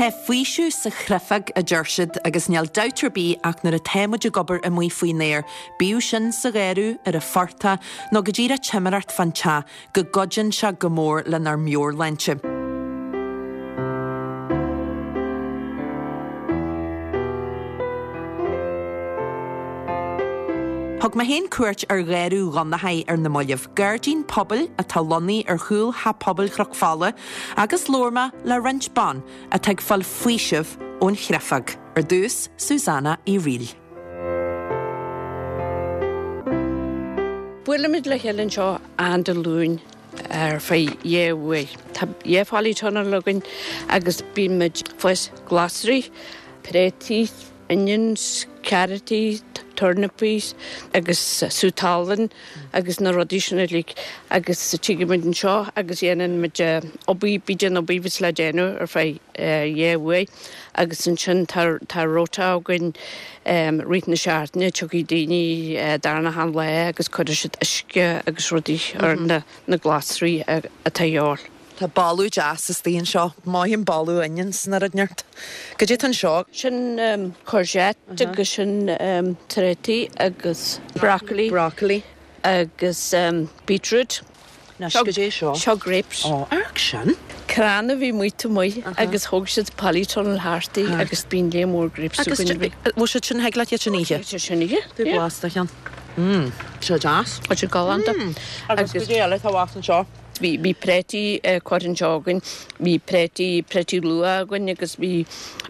Tá faoiseamh sa chreifeag, a deir siad, agus níl dabht ar bith ach nuair atá muid ag obair amuigh faoin aer, bíodh sin sa gharradh, ar an phortach, nó go díreach timireacht fán teach, go gcuidíonn sé go mór lenár meabhairshláinte. Thug mé féin cuairt ar Gharradh Dhonnchaidh ar na mallaibh, gairdín pobail atá lonnaithe ar chúl Theach Pobail Chnoc Fola, agus labhair mé le roinnt ban atá ag fáil faoisimh ón chreifeag. Ar dtús, Susanna Uí Fhrighil. Buailimid le chéile anseo achan Dé Luain ar feadh dhá uair. Tá dhá pholytunnel againn agus bíonn muid ag fás glasraí, préataí, onions, carrotaí, turnapaí agus sú talún agus na rudaí sin uilig agus tigeann muid anseo agus dhéanann muid obair, bíd an obair bhíos le déanamh ar feadh dhá uair agus ansin tá tá rota againn rith na seachtaine tiocfaidh daoine darna han lá agus cuirfidh siad uisce agus rudaí ar na na glasraí atá a dhíobháil. Tá boladh deas istigh anseo. Maith an boladh onions nó rud inteacht. Goidé atá anseo? Sin courgette agus sin tréataí agus broccoli. Broccoli. Agus beetroot. Anois, goidé seo? Seo grapes. Ó, amharc sin. Crann a bhí amuigh taobh amuigh agus thóg siad polytunnel thart í agus bíonn léar mór grapes againn. Agus bhfuil siad sin, thig leat iad sin a ithe? Thig siad sin a ithe. Tabhair blas de cheann. Mmm, seo deas. Tá siad galánta. Agus goidé eile atá abhus anseo? Bhí, bhí préataí curtha anseo againn, bhí préataí, préataí luath againn agus bhí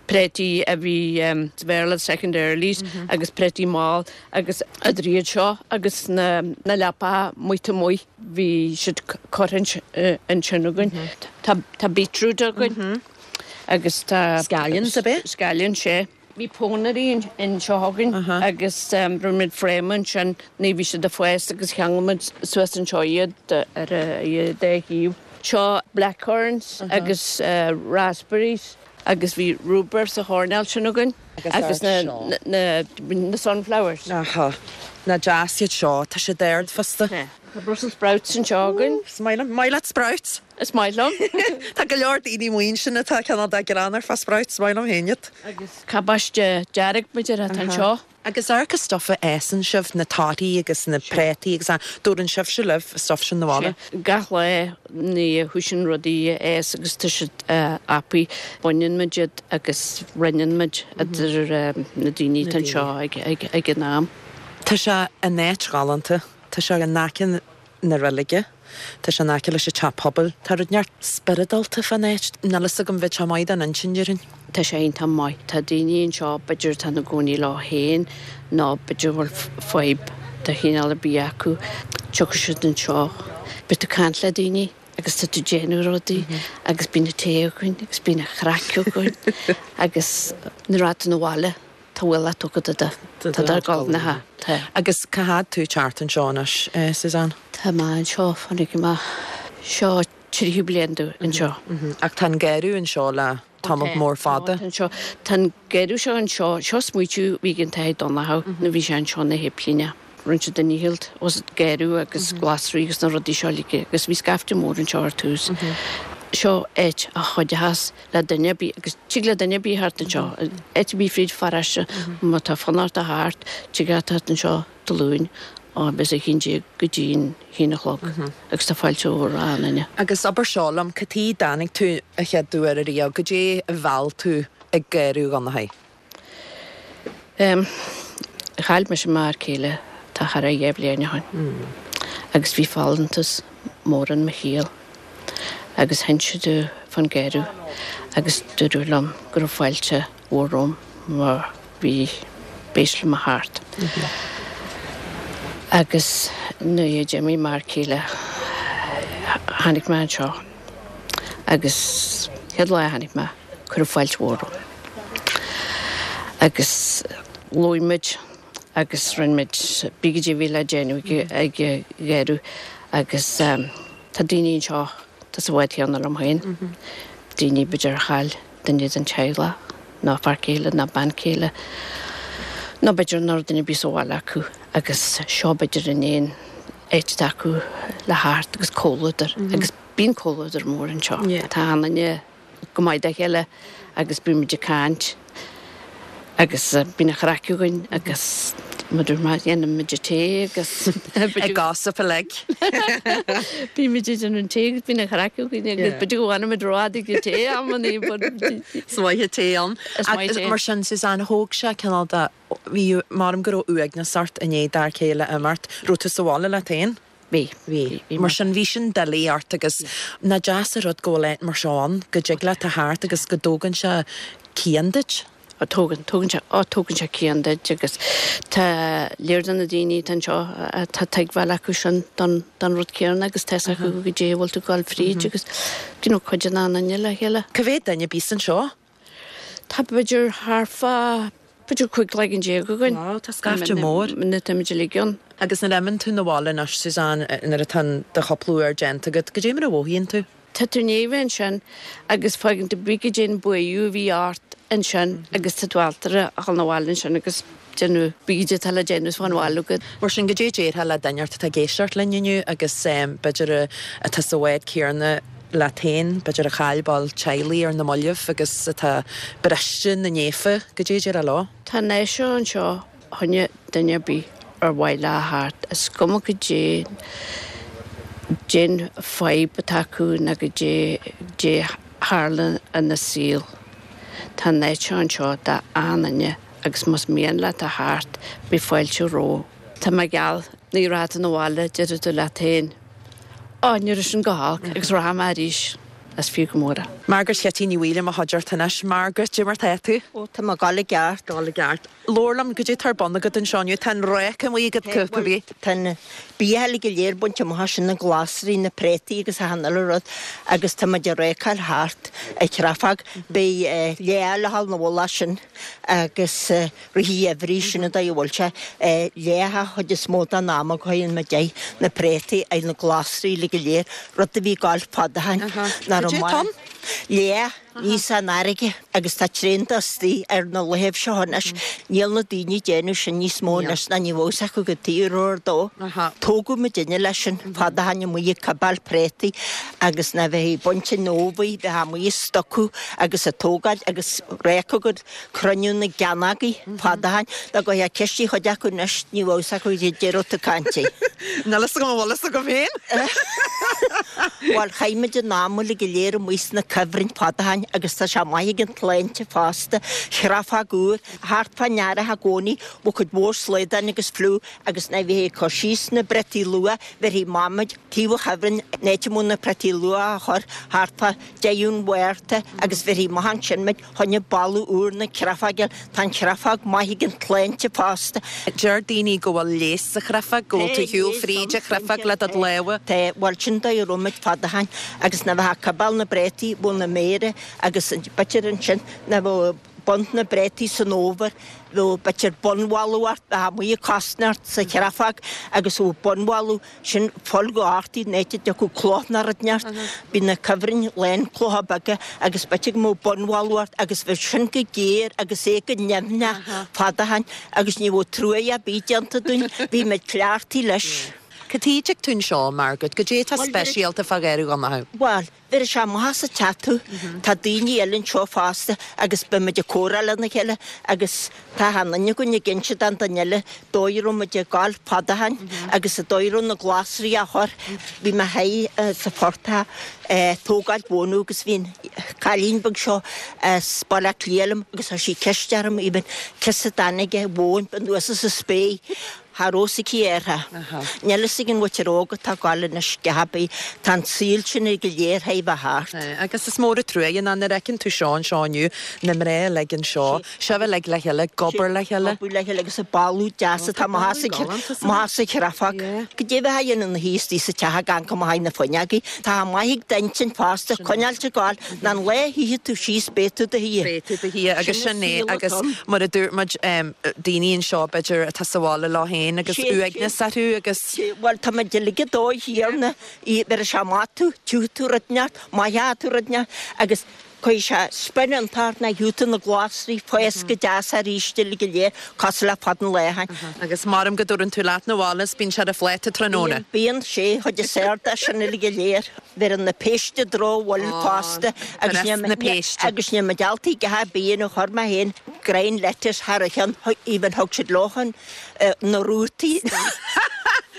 préataí a bhí sa Bhéarla second earlies agus préataí mall agus idir iad seo agus na, na leapacha amuigh taobh amuigh bhí siad curtha ansin againn. Tá, tá beetroot againn agus tá. Scallions ab ea? Scallions, sea. Bhí pónairí anseo againn agus rinne muid fráma ansin nuair a bhí siad ag fás agus cheangail muid suas anseo iad ar a dá thaobh. Seo blackcurrants agus raspberries agus bhí rhubarb sa choirnéal sin againn agus na sunflowers. Aha. Nach deas iad seo. Tá siad ard fosta. Tá Brussels sprouts anseo againn. Is maith liom. Maith leat sprouts? Is maith liom. Tá go leor daoine amuigh ansin atá cineál de greannmhar fá sprouts, is maith liom féin iad. Agus cabáiste dearg b'fhéidir atá anseo. Agus amharc an stuif a fhásann sibh, na torthaí agus na préataí agus a, dtabharann sibhse libh an stuif sin 'na bhaile? Sea. Gach lá nuair a thoisíonn rudaí a fhás agus tá siad apaí, baineann muid iad agus roinneann muid idir na daoine atá anseo ag an am. Tá sé in áit ghalánta. Tá sé in aice na reilige. Tá sé in aice leis an teach pobail. Tá rud inteacht spioradálta fán áit. Níl fhios agam, bheadh sé maith don intinn, déarfainn. Tá sé iontach maith. Tá daoine anseo b'fhéidir atá ina gcónaí leo féin nó b'fhéidir go bhfuil fadhb de chineál ar bith acu. Tiocfaidh siad anseo. Beidh tú ag caint le daoine agus tá tú ag déanamh rudaí agus bíonn an tae againn agus bíonn an chraic againn agus nuair atá tú 'na bhaile Tá ualach tugtha do do tá do gol na ha tá. Agus cá fhad tú thart anseo anois, Suzanne? Tá mé anseo, fanfaidh mé seo tríú bliain domh anseo. Ach tá an garradh anseo le tamall mór fada. Tá anseo. Tá an garradh seo anseo, seo smaoitiú a bhí ag an tAthair Donnchadh nuair a bhí sé anseo ina shéiplíneach. Rinne siad a ndícheall os garradh agus glasraí agus na rudaí seo uilig agus bhí scaifte mór anseo ar tús. Seo áit a chuideochas le duine ar bith agus tig le duine ar bith theacht anseo, áit ar bith fríd pharóiste, má tá fonn ort a theacht, tig leat theacht anseo Dé Luain ó b'fhéidir a haon déag go dtí an haon a chlog agus tá fáilte mhór roimh aon duine. Agus abair seo liom, cad chuige a dtáinig tú a chéad uair ariamh, goidé a mheall tú ag Garradh Dhonnchaidh? Chaill mise m'fhear céile tá thar a dheich bhliain ó shin agus bhí folúntas mór in mo shaol agus hinseadh domh fán gharradh agus dúradh liom go raibh fáilte mhór romham mar bhí b'éis liom a theacht. Agus nuair a d'imigh m'fhear céile tháinig mé anseo agus chéad lá a tháinig mé Cuireadh fáilte mhór romham agus labhair muid agus rinne muid pé goidé a bhí le déanamh ag an gharradh agus tá daoine anseo atá sa bhád chéanna liom féin, daoine b'fhéidir a chaill duine den teaghlach nó fear céile nó bean céile nó b'fhéidir nach raibh duine ar bith sa bhaile acu agus seo b'fhéidir an aon áit atá acu le theacht agus comhluadar agus bíonn comhluadar mór anseo. Tá an duine. go maith dá chéile agus bíonn muid ag caint agus bíonn an chraic againn agus mar a dúirt mé, déanann muid an tae agus. Ag gossip uilig. Bíonn muid ag déanamh an tae agus bíonn an chraic againn agus b'fhéidir go bhfanann muid rófhada ag an tae amannaí but. Is maith an tae ann. Is maith tae. Mar sin, Suzanne, thóg sé cineál de, bhí, measaim go raibh uaigneas ort i ndiaidh d'fhear céile imeacht, raibh tú sa bhaile leat féin? Bhí. Bhí. Mar sin, bhí sin doiligh ort agus nach deas an rud go bhfuil áit mar seo ann, go dtig leat a theacht agus go dtógann sé cian duit. Ó tógann, tógann sé, ó tógann sé cian duit agus tá lear de na daoine atá anseo, tá tuigbheáil acu sin don, don rud céanna agus tá fhios acu goidé a bhfuil tú ag dul fríd agus, you know, cuidíonn achan duine le chéile. Cá mhéad duine a bíos anseo? Tá b'fhéidir thart fá, b'fhéidir 15 cloigeann againn. Wow, tá scaifte mór. Nuair atá muid uilig ann. Agus nuair a imíonn tú 'na bhaile anois, Suzanne, nuair atá do chúpla uair déanta agat, goidé mar a mhothaíonn tú? Tá tú i ndiaidh a bheith ansin agus fágann tú bith goidé an buaidh a bhí ort ansin agus tá tú ábalta a dhul 'na bhaile ansin agus déanamh bith goidé atá le déanamh is fán bhaile agat. Mar sin, goidé a déarfá le duine atá ag éisteacht linn inniu agus b'fhéidir atá sa bhád céanna leat féin, b'fhéidir a chaill ball teaghlaigh ar na mallaibh agus atá briste na néafa, goidé a déarfá leo? Tá an áit seo anseo choinne duine ar bith ar mhaith leo a theacht, is cuma goidé cén fadhb atá acu ná goidé goidé a tharla ina saol. Tá an áit seo anseo d'achan duine agus más mian leat a theacht beidh fáilte romhat. Tá mé geall, nuair a rachaidh tú 'na bhaile déarfaidh tú leat féin, Ó, ní raibh sin go holc agus rachaidh mé arís. Is fiú go mór é. Margaret Chití Ní Bhaoill i mo chuideachta anois. Margaret, goidé mar tá tú? Ó, tá mé ag gabháil i gceart. Gabháil i gceart. Labhair liom, goidé tá ar bun agat anseo inniu? Tá an ráca amuigh agat, cibé. Tá an bia uilig go léir bainte amach as sin, na glasraí, na préataí agus achan uile rud agus tá muid ag rácáil thart an chreafóg. Beidh leá le dhul 'na mhullach sin agus rith an gheimhridh, sin an dóigh a bhfuil sé. Leá an chuid is mó den am a gcuireann muid air na préataí, ar na glasraí uilig go léir, rud a bhí ag gabháil fada ó shin. Nach raibh maith. Leá. Níos an fharraige agus tá tréan de istigh ar na laethibh seo anois. Níl na daoine ag déanamh sin níos mó anois ná ní bheadh fhios acu cad tuige a raibh ar dó. Tógadh muidinne leis sin fad ó shin amuigh ag cibeáil préataí agus nuair a bheifí ag baint an fhómhair bheifeá amuigh ag stocaigh agus ag tógáil agus rácadh go cruinniú na gceannagaí fad ó shin. Dá gcuirfeá ceist ar chuid acu anois ní bheadh fhios acu goidé a raibh tú ag caint air. Níl fhios agam an bhfuil fhios agam féin. Bhuel, chaith muid an am uilig go léir amuigh sna cuibhrinn fad ó shin agus tá sé maith ag an tsláinte fosta. Chreafóg úr, thart fán earrach i gcónaí, bheadh cuid mhór slaodáin agus fliú agus nuair a bhítheá ag cur síos na bpréataí luath, bheirfeadh Mam muid taobh an chuibhrinn, an áit a mbeadh na préataí luath á chur, thart fá deireadh an Mhárta agus bheirfí amach ansin muid. Choinne boladh úr na creafóige. Tá an chreafóg maith ag an tsláinte fosta. Deir daoine go bhfuil leigheas sa chreafóg, go bhfuil tú ag siúl fríd an chreafóg le do lámha. Tá, bhuel sin dóigh a raibh muid fad ó shin agus nuair a bheifeá ag cibeáil na bpréataí, bheadh na méara agus b'fhéidir ansin nuair a bheadh baint na bpréataí san fhómhar, bheadh b'fhéidir bonnbholbh ort, bheifeá amuigh ag cosnairt sa chreafóg agus bheadh bonnbholbh Sin poll go ártaí an áit a dtiocfadh cloch ná rud inteacht. Bhí na cuibhrinn lán clocha beaga agus b'fhéidir go mbeadh bonnbholbh ort agus bheadh sin go géar agus é go nimhneach fad ó shin agus ní bheadh truaighe ar bith déanta dúinn. Bhí muid cleachtaithe leis. Cad chuige a dtig tú anseo, Margaret? Goidé atá speisialta fá Gharradh Dhonncha? Bhuel, Bheireadh sé amach as an teach tú. Tá daoine eile anseo fosta agus beidh muid ag comhrá lena chéile agus tá achan duine againn ag inse don duine eile dóigh a raibh muid ag gabháil fad ó shin agus an dóigh a raibh na glasraí á chur. Bhí mé thiar sa phortach ag tógáil mhónadh agus bhí an cailín beag seo as Baile Átha Cliath liom agus chuir sí ceist orm even ciosa dtáinig an mhóin anuas as an spéir. Cha raibh fhios aici uirthi. Níl fhios ag an mhuintir óg atá ag gabháil anois a dhath ar bith. Tá an saol sin go léir théis bheith thart. Agus is mór an truaighe ná nuair a fheiceann tú seo anseo inniu, na mná uilig anseo, sibh uilig le chéile, ag obair le chéile. Ag obair le chéile agus an boladh deas atá amach as an chreafóg. Goidé a bheifeá a dhéanamh ina shuí istigh sa teach ag amharc amach na fuinneogaí. Tá maith ag d'intinn fosta, coinneáilt ag gabháil. Ná an lá a shuífidh tú síos beidh tú do shuí. Beidh tú do shuí agus sin é agus mar a dúirt muid daoine anseo b'fhéidir atá sa bhaile leo féin agus uaigneas orthu agus. Bhuel tá muid uilig ag dóigh thiarna, bheir sé maith tú, tiocfaidh tú rud inteacht, maith tú rud inteacht agus. Cuirfidh sé spion iontach ort nuair a gheobhaidh tú na glasraí ag fás go deas arís uilig go léir cosúil le fad an lae ó shin. Agus maram go dtabhrann tú leat 'na bhaile is bíonn sé ar an phláta tráthnóna. Bíonn, bíonn, sé, chuid is fearr de sin uilig go léir. Bheireann na péiste drochbhail fosta agus níl na péiste. Agus níl mé geallta ag ar bith nó chuir mé féin greim lettuce thar a cheann, even thug siad leo chun na rútaí.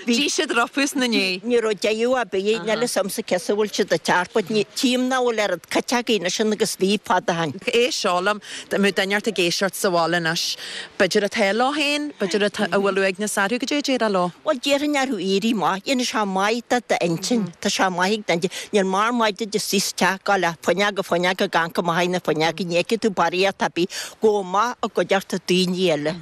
D'ith siad rompu 'na ndiaidh. Ní raibh deireadh ar bith, níl fhios a'msa cé as a bhfuil siad ag teacht, but ní, tchím nach bhfuil oiread cait againn anois sin agus bhí fad ó shin. Éist seo liom, dá mbeadh duine ort ag éisteacht sa bhaile anois, b'fhéidir atá leo féin, b'fhéidir atá, a bhfuil uaigneas orthu, goidé a déarfá leo? Bhuel, déarfainn orthu éirí amach, dhéanfaidh sé maith do d'intinn, tá sé maith ag d'intinn, níl mar maith duit suí sa teach, gabháil ó fuinneog go fuinneog ag amharc amach na fuinneoga, ní fheicfidh tú barraíocht ar bith, gabh amach i gcuideachta daoine eile.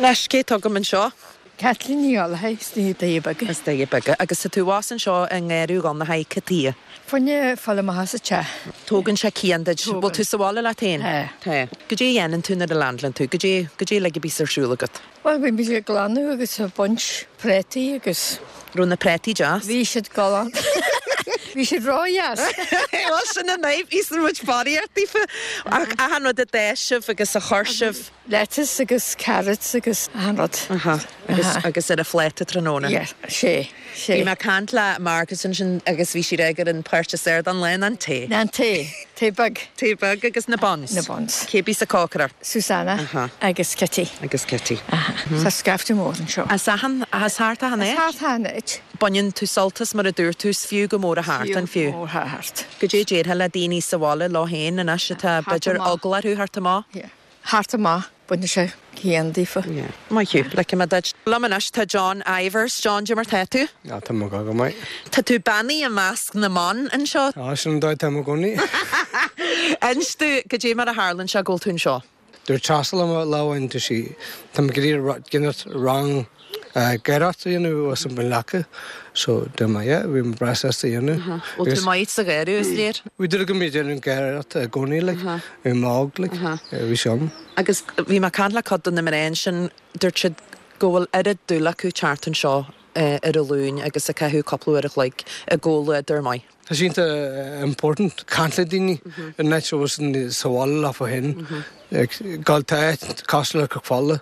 Anois, cé atá agam anseo? Caitlín Ní Ghallchóir, as na Doirí Beaga. As Doirí Beaga. Agus tá tú abhus anseo i ngarraí Dhonnchaidh, cad chuige? Fá choinne fáil amach as an teach. Tógann sé cian duit. Tógann. Bhfuil tú sa bhaile leat féin? Tá. Tá. Goidé a dhéanann tú nuair a leaindeálann tú? Goidé, goidé uilig a bíos ar siúl agat? Bhuel, bhí muid ag glanadh agus ag baint préataí agus. Raibh na préataí deas? Bhí siad galánta. Bhí siad ródheas. Bhuel, sin an fhadhb, íosann muid barraíocht daofa. Ach achan rud a d'fhás sibh agus a chuir sibh. Lettuce agus carrots agus achan rud. Aha. Agus, agus ar an phláta tráthnóna. Yeah, sé, sé. Bhí mé ag caint le Marcus ansin agus bhí siad ag ar an páirt is fhearr den lá ná an tae. Ná an tae. Tae beag. Tae beag agus na buns. Na buns. Cé bíos ag cócaireacht? Susanna. Aha. Agus Kitty. Agus Kitty. Aha. Tá scaifte mór anseo. As achan, as thart achan áit? As thart achan áit. Baineann tú sult as mar a dúirt tú, is fiú go mór a theacht ann fiú. Fiú go mór a theacht. Goidé a déarfá le daoine sa bhaile leo féin anois atá b'fhéidir eagla orthu theacht amach? Yeah. Theacht amach, baineann sé cian daofa. Yeah. Maith thú. Ligfidh mé duit. Liom anois tá John Ivers. John, goidé mar tá tú? Ah, tá mé go maith. Tá tú beannaithe i measc na mban anseo. Ah, sin an dóigh atá mé i gcónaí. Inis domh, goidé mar a tharlaíonn sé go bhfuil tú anseo? Dúirt Treasa liom lá amháin, dúirt sí, tá mé ag iarraidh déanamh rang gaireacht a dhéanamh os an Bhinn Leaca. So, dúirt mé, yeah, bhí mé breá sásta a dhéanamh. Bhfuil tú maith sa ghearradh, is léir? Bhí dúil agam ag déanamh gaireacht i gcónaí, like, bhí mé óg, like, bhí sé ann. Agus bhí mé ag caint le cuid de na mná ansin, dúirt siad go bhfuil oiread dúil acu teacht anseo ar an Luan agus ag caitheamh cúpla uair a chloig i gcomhluadar maith. Tá sé iontach important caint le daoine in áit a bhfuil sa bhaile leofa féin. Gabháil tá áit cosúil le Cnoc Fola,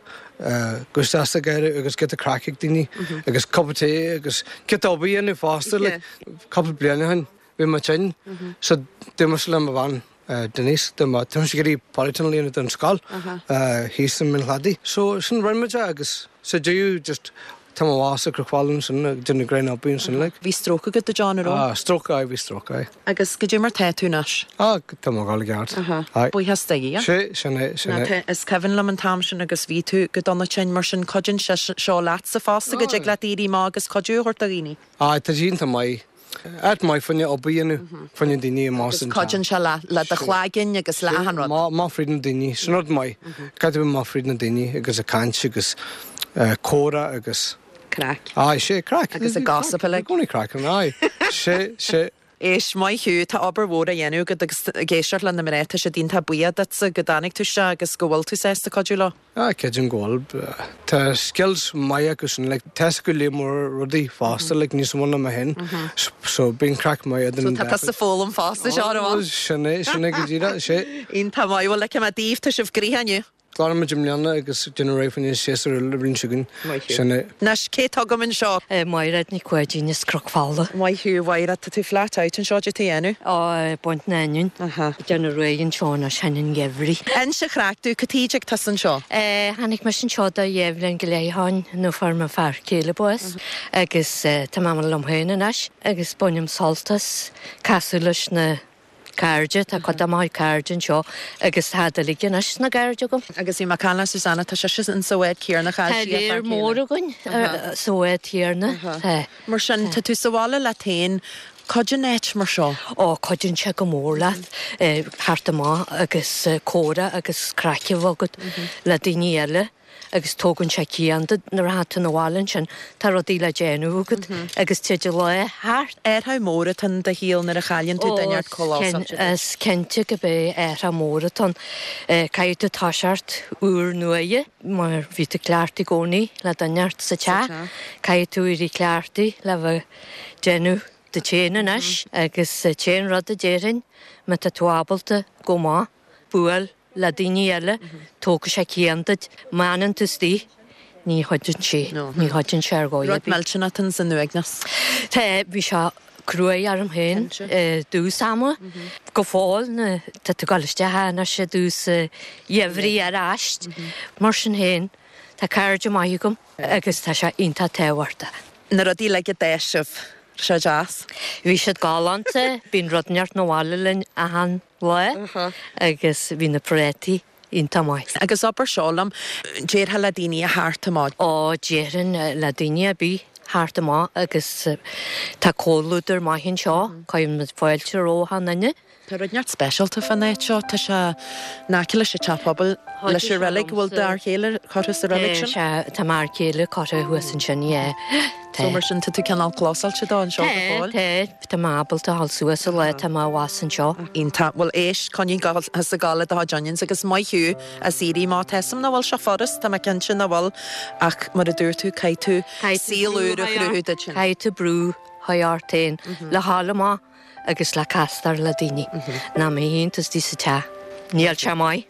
go isteach sa gharraí agus giota craic ag daoine agus cup of tea agus giota obair a dhéanamh fosta like cúpla bliain ó shin bhí mé tinn so dúirt mise le mo bhean Denise dá mba tá mise ag iarraidh polytunnel a dhéanamh don scoil thíos i mBinn Chladaigh. So sin rinne muid é agus sa deireadh just tá mé abhus i gCnoc Fola ansin ag déanamh greim oibre ansin like. Bhí stróc agat a John, an raibh? Ah stróc aye bhí stróc aye. Agus goidé mar tá tú anois? Ah tá mé ag dul i gceart. Aye. Buíochas do Dhia. Sé sin é sin é. Is cuimhin liom an t-am sin agus bhí tú go dona tinn mar sin cuidíonn sé seo leatsa fosta go dtig leat éirí amach agus cuidiú a thabhairt do dhaoine. Aye tá sé iontach maith. Áit maith fá choinne obair a dhéanamh, fá choinne daoine amach Agus cuidíonn sé le do chloigeann agus le achan rud. Amach fríd na daoine, sin rud maith. Caithfidh tú bheith amach fríd na daoine agus ag caint agus comhrá agus. Craic. Aye, sé, craic. Agus ag gossip uilig. I gcónaí craic ann, aye. Sé, sé. Éist, maith thú, tá obair mhór á dhéanamh agat agus ag éisteacht le na mná, tá siad iontach buíoch duitse go dtáinig tú isteach agus go bhfuil tú sásta cuidiú leo. Ah, creidim go bhfuil. Tá skills maith acu sin, like, tá 'fhios acu lear mór rudaí fosta, like, níos mó ná mé féin. So, bíonn craic maith idir So an tá dá tusa ag foghlaim fosta, Seán, an bhfuil? Sin é, sin é go díreach, sé. Iontach maith, bhuel, ligfidh mé daoibh, tá sibh gnoitheach inniu. Glanfaidh muid i mbliana agus déanamh réidh fá choinne séasúr eile an bhliain seo chugainn. Maith thú. Sin é. Anois, cé atá agam anseo? Mairéad Nic Pháidín as Cnoc Fola. Maith thú, a Mhairéad, tá tú flat out anseo, goidé tá a dhéanamh? Á, ag baint na n-oinniún. Aha. Déanamh réidh anseo anois fá choinne an gheimhridh. Inis an chraic domh, cad chuige a dtig tusa anseo? Tháinig mise anseo do dhá bhliain go leith ó shin nó fuair mo fear céile bás agus tá mé liom féin anois agus bainim sult as casadh leis na cairde, tá cuid de mo chuid cairde anseo agus tá siad uilig anois ina gcairde agam. Agus bhí mé ag caint le Susanna, tá sise in sa bhád céanna, chaill Tá sí a fear léar céile. mór againn sa bhád chéanna. Tá. Mar sin, tá tú sa bhaile leat féin, cuidíonn áit mar seo. Ó, cuidíonn sé go mór leat theacht amach agus comhrá agus craic a bheith agat le daoine eile agus tógann sé cian duit nuair atá tú 'na bhaile ansin, tá rudaí le déanamh agat agus téid an lá thart. Athrú mór atá ann do shaol nuair a chailleann tú duine ort chomh Ó, is cinnte go b'é athrú mór atá ann. Caithfidh tú toiseacht úr nuaidhe mar bhí tú cleachtaithe i gcónaí le duine ort sa teach, caithfidh tú éirí cleachtaithe le bheith déanamh. duit féin anois agus t-aon rud a déarfainn, má tá tú ábalta gabh amach, buail le daoine eile, tógfaidh sé cian duit. Má fhanann tú istigh, ní chuidíonn sé, ní chuidíonn sé ar dhóigh ar bith. Rud millteanach atá san uaigneas. Tá, bhí sé cruaidh orm féin i dtús ama. Go fóill, tá tú ag dul isteach anois i dtús gheimhridh ar ais. Mar sin féin, tá cairde maith agam agus tá sé iontach tábhachtach. Na rudaí uilig a d'fhás sibh, raibh sé deas? Bhí siad galánta, bíonn rud inteacht 'na bhaile linn achan lá agus bhí na prátaí iontach maith. Agus abair seo liom, déarfá le daoine a theacht amach? Ó, déarfainn le daoine ar bith theacht amach agus tá comhluadar maith anseo, cuireann muid fáilte roimh achan duine. Tá rud inteacht speisialta fán áit seo, tá sé in aice leis an teach pobail, leis an reilig, bhfuil d'fhear chéile curtha sa reilig sin? Tá, tá m'fhear céile curtha thuas ansin, yeah. So mar sin tá tú cineál clósáilte dó anseo go fóill? Tá, tá, tá mé ábalta a dhul suas an lá atá mé abhus anseo. Iontach. Bhuel éist, coinnigh thusa ag gabháil le do chuid onions agus maith thú as éirí amach. Tá 'fhios a'm nach bhfuil sé furast, tá mé cinnte nach bhfuil, ach mar a dúirt tú, caithfidh tú saol úr a chruthú duit féin. Caithfidh tú brú a chur ort féin le dhul amach agus le castáil le daoine. Ná má shuíonn tú istigh sa teach, níl sé maith.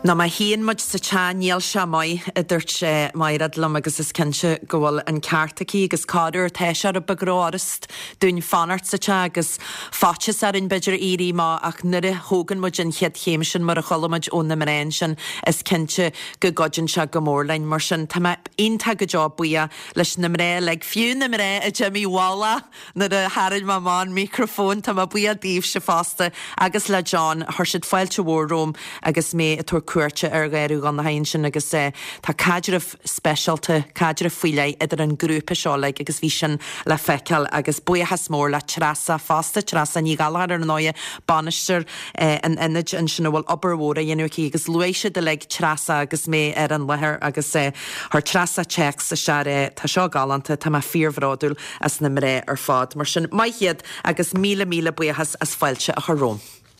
Nó má shuíonn muid sa teach, níl sé maith, a dúirt Maighread liom agus is cinnte go bhfuil an ceart aici agus corruair tá sé rud beag rófhurast dúinn fanacht sa teach agus faitíos orainn b'fhéidir éirí amach ach nuair a thógann muid an chéad chéim sin mar a chuala muid ó na mná ansin is cinnte go gcuidíonn sé go mór linn. Mar sin tá mé iontach go deo buíoch leis na mná uilig, fiú na mná a d'imigh i bhfolach nuair a tharraing mé amach an micreafón. Tá mé buíoch daoibhse fosta agus le John. Chuir siad fáilte mhór romham agus mé ag tabhairt cuairte ar Gharradh Dhonnchaidh ansin agus tá caidreamh speisialta, caidreamh faoi leith idir an grúpa seo uilig agus bhí sin le feiceáil agus buíochas mór le Treasa fosta, Treasa Ní Ghallchóir ar ndóighe, bainisteoir an ionaid ansin a bhfuil obair mhór á dhéanamh aici agus luaigh siad uilig Treasa agus mé ar an láthair agus chuir Treasa téacs isteach é, tá seo galánta, tá mé fíorbhródúil as na mná ar fad. Mar sin, maith iad agus míle míle buíochas as fáilte a chur romham.